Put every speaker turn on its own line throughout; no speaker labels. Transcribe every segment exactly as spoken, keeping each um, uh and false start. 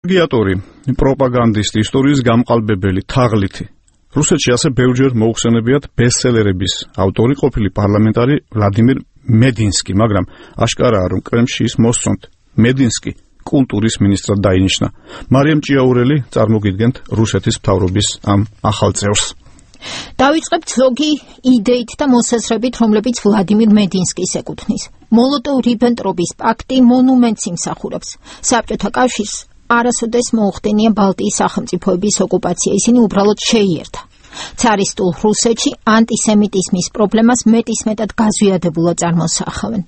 პლაგიატორი, პროპაგანდისტი, ისტორიის გამყალბებელი, თაღლითი. რუსეთში ასე ბევრჯერ მოუხსენებიათ ბესტსელერების ავტორი ყოფილი პარლამენტარი ვლადიმირ მედინსკი, მაგრამ აშკარაა, რომ კრემლში ის მოსწონთ. მედინსკი კულტურის მინისტრად დაინიშნა. მარიამ ჭიაურელი წარმოგიდგენთ რუსეთის მთავრობის ამ ახალ წევრს.
დავიწყებთ ზოგი იდეით და მოსაზრებით, რომლებიც ვლადიმირ მედინსკის ეკუთვნის. მოლოტოვ-რიბენტროპის პაქტი მონუმენტს იმსახურებს. საბჭოთა კავშირს არასოდეს მოუხდენია ბალტიის სახელმწიფოების ოკუპაცია, ისინი უბრალოდ შეიერთა. ცარისტულ რუსეთში ანტისემიტიზმის პრობლემას მეტისმეტად გაზვიადებულად წარმოსახავენ.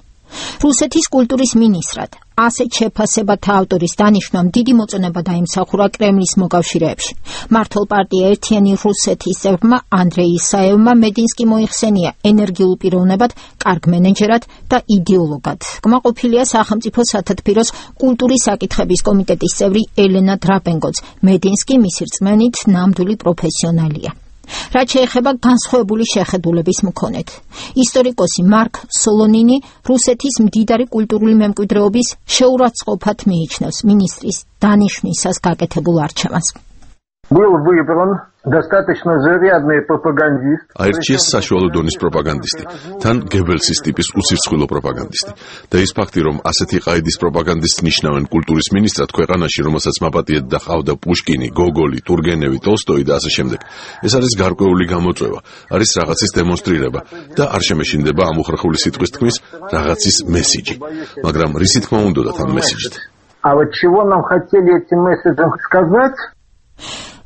რუსეთის კულტურის მინისტრად ასეთ შეფასებათა ავტორის დანიშვნამ დიდი მოწონება დაიმსახურა კრემლის მოკავშირეებში. მართლ პარტია ერთიანი რუსეთის წევრმა ანდრეი ისაევმა მედინსკი მოიხსენია ენერგიულ პიროვნებად, კარგ მენეჯერად და იდეოლოგად. კმაყოფილია სახელმწიფო სათათბიროს კულტურის საკითხების კომიტეტის წევრი ელენა დრაპენკოც. მედინსკი მისი რწმენით ნამდვილი პროფესიონალია. რაც შეეხება განსხვავებული შეხედულების მქონედ. ისტორიკოსი მარკ სოლონინი რუსეთის მდიდარი კულტურული მემკვიდრეობის შეურაცხყოფად მიიჩნევს მინისტრის დანიშვნისას გაკეთებულ არჩევანს.
Был выбран достаточно зарядный пропагандист.
აირჩიეს საშუალო დონის პროპაგანდისტი, თან გებელსის ტიპის უსირცხვილო პროპაგანდისტი. და ის ფაქტი, რომ ასეთი ყაიდის პროპაგანდისტს ნიშნავენ კულტურის მინისტრად ქვეყანაში, რომელსაც მაპატიეთ და ყავდა პუშკინი, გოგოლი, ტურგენევი, ტოლსტოი და ასე შემდეგ. ეს არის გარკვეული გამოწვევა, არის რაღაცის დემონსტრირება და არ შემეშინდება ამ უხრახული სიტყვის თქმის რაღაცის მესიჯი. მაგრამ რისი თქმა უნდათ ამ მესიჯით?
А вот чего нам хотели этим месседжем сказать?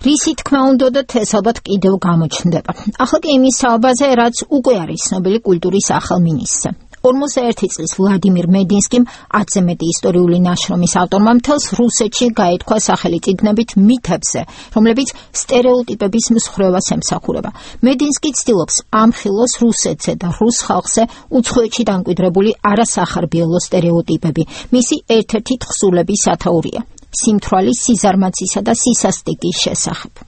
რისი თქმა უნდათ ეს ალბათ კიდევ გამოჩნდება. ახლა კი იმის საუბარზე, რაც უკვე არის ცნობილი კულტურის ახალ მინისტრზე. ორმოცდაერთი წლის ვლადიმირ მედინსკიმ ათზე მეტი ისტორიული ნაშრომის ავტორმა მთელს რუსეთში გაითქვა სახელი წიგნებით მითებზე, რომლებიც სტერეოტიპების მსხვერპლს ემსახურება. მედინსკი ცდილობს ამხილოს რუსეთზე და რუს ხალხზე უცხოეთში დამკვიდრებული არასახარბიელო სტერეოტიპები. მისი ერთ-ერთი თხზულების სათაურია სიმთვრალის, სიზარმაცისა და სისასტიკის შესახებ.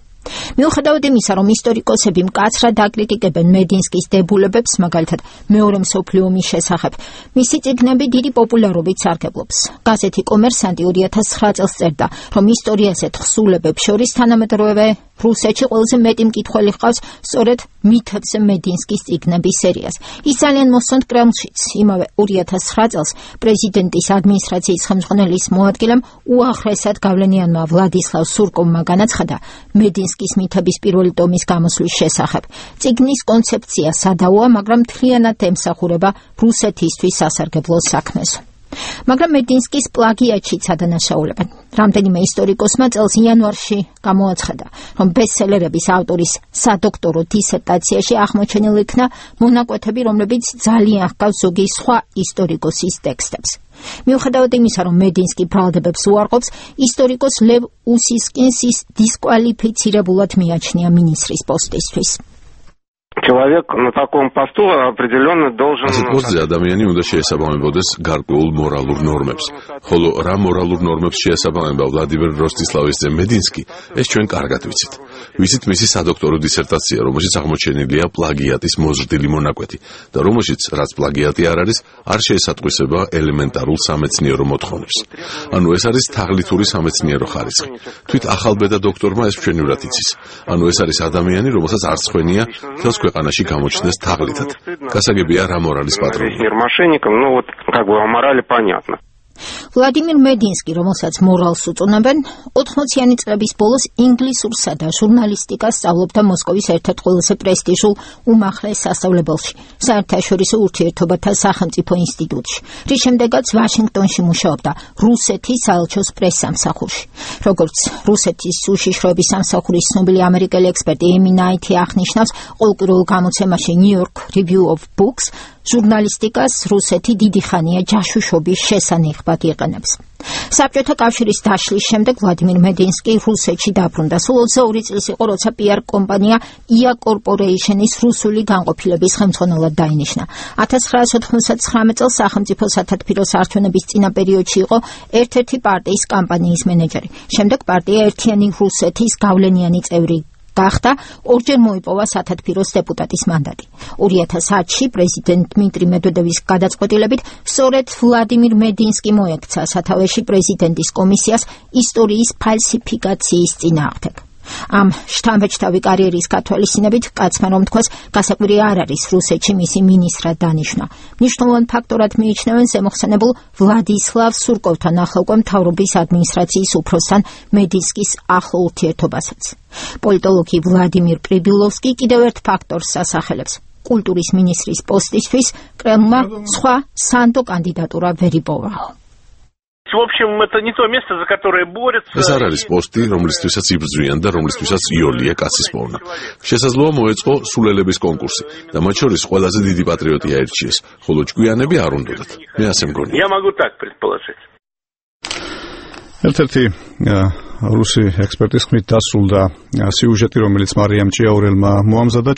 მიუხედავად იმისა, რომ ისტორიკოსები მკაცრად აკრიტიკებენ მედინსკის დებულებებს, მაგალითად მეორე მსოფლიო ომის შესახებ, მისი წიგნები დიდი პოპულარობით სარგებლობს. გაზეთი კომერსანტი ორი ათას ცხრა წელს წერდა, რომ ისტორიაზე თხზულებებს შორის თანამედროვე რუსეთში ყველაზე მეტი მკითხველი ჰყავს სწორედ მითებზე მედინსკის წიგნების სერიას. ის ძალიან მოსწონთ კრემლშიც. იმავე ორი ათას ცხრა წელს პრეზიდენტის ადმინისტრაციის ხელმძღვანელის მოადგილემ უაღრესად გავლენიანმა ვლადისლავ სურკოვმა განაცხადა მედინსკის მითების პირველი ტომის გამოსვლის შესახებ. წიგნის კონცეფცია სადავოა, მაგრამ მთლიანად ემსახურება რუსეთისთვის სასარგებლო საქმეს. მაგრამ მედინსკის პლაგიატშიც ადანაშაულებენ. რამდენიმე ისტორიკოსმა წელს იანვარში გამოაცხადა, რომ ბესტსელერების ავტორის სადოქტორო დისერტაციაში აღმოჩენილ იქნა მონაკვეთები, რომლებიც ძალიან ჰგავს ზოგი სხვა ისტორიკოსის ტექსტებს. მიუხედავად იმისა, რომ მედინსკი ბრალდებებს უარყოფს, ისტორიკოს ლევ უსისკინს ის დისკვალიფიცირებულად მიაჩნია მინისტრის პოსტისთვის.
Человек на таком посту определенно должен...
ასეთ პოსტზე ადამიანი უნდა შეესაბამებოდეს გარკვეულ მორალურ ნორმებს. ხოლო რა მორალურ ნორმებს შეესაბამება ვლადიმერ როსტისლავის ძე მედინსკი, ეს ჩვენ კარგად ვიცით. ვიცით მისი სადოქტორო დისერტაცია, რომელშიც აღმოჩენილია პლაგიატის მოზრდილი მონაკვეთი და რომელშიც, რაც პლაგიატი არ არის, არ შეესატყვისება ელემენტარულ სამეცნიერო მოთხოვნებს. ანუ ეს არის თაღლითური სამეცნიერო ხარისხი. თვით ახალბედა დოქტორმა ეს მშვენივრად იცის. ანუ ეს არის ადამიანი, რომელსაც არც ხვენია თელს ქვეყანაში გამოჩნდეს თაღლითად. გასაგებია რა მორალის პატრონია.
ну вот как бы о морали понятно.
ვლადიმირ მედინსკი, რომელსაც მორალს უწოდებენ, ოთხმოციანი წლების ბოლოს ინგლისურსა და ჟურნალისტიკას სწავლობდა მოსკოვის ერთ-ერთ ყველაზე პრესტიჟულ უმაღლეს სასწავლებელში, საერთაშორისო ურთიერთობათა სახელმწიფო ინსტიტუტში. რის შემდეგაც ვაშინგტონში მუშაობდა რუსეთის საელჩოს პრესსამსახურში. როგორც რუსეთის უშიშროების სამსახურის ცნობილი ამერიკელი ექსპერტი ემი ნაითი აღნიშნავს, ყოველკვირეულ გამოცემაში New York Review of Books ჟურნალისტიკას რუსეთი დიდი ხანია ჯაშუშობის შესანახად იყენებს. საბჭოთა კავშირის დაშლის შემდეგ ვლადიმირ მედინსკი რუსეთში დაბრუნდა. სულ ოცდაორი წლის იყო, როცა პი-არ კომპანია ია კორპორეიშენის რუსული განყოფილების ხელმძღვანელად დაინიშნა. ათას ცხრაასი ოთხმოცდათცხრამეტ წელს სახელმწიფო სათათბიროს არჩევნების წინა პერიოდში იყო ერთ-ერთი პარტიის კამპანიის მენეჯერი. შემდეგ პარტია ერთიანი რუსეთის გავლენიანი წევრი გახდა, ორჯერ მოიპოვა სათათბიროს დეპუტატის მანდატი. ორი ათას ათში პრეზიდენტ დმიტრი მედვედევის გადაწყვეტილებით სწორედ ვლადიმირ მედინსკი მოექცა სათავეში პრეზიდენტის კომისიას ისტორიის ფალსიფიკაციის წინააღმდეგ. ამ შთამბეჭდავი კარიერის გათვალისწინებით კაცმა რომ თქვას, გასაკვირი არ არის რუსეთში მისი მინისტრად დანიშვნა. მნიშვნელოვან ფაქტორად მიიჩნევენ ზემოხსენებულ ვლადისლავ სურკოვთან ახლავე მთავრობის ადმინისტრაციის უფროსთან მედინსკის ახლო ურთიერთობასაც. პოლიტოლოგი ვლადიმირ პრიბილოვსკი კიდევ ერთ ფაქტორს ასახელებს. კულტურის მინისტრის პოსტისთვის კრემლმა სხვა სანდო კანდიდატურა ვერ იპოვა.
В общем, это не то место, за которое борются.
ეს არ არის პოსტი, რომლისთვისაც იბრძვიან და რომლისთვისაც იოლია კაცის პოვნა. შესაძლოა მოეწყო სულელების კონკურსი და მათ შორის ყველაზე დიდი პატრიოტი აირჩიეს, ხოლო ჭკვიანები არ უნდათ. მე ასე მგონია.
Я могу так предположить.
ერთ-ერთი რუსი ექსპერტის ხმით დასრულდა სიუჟეტი, რომელიც მარიამ ჭიაურელმა მოამზადა.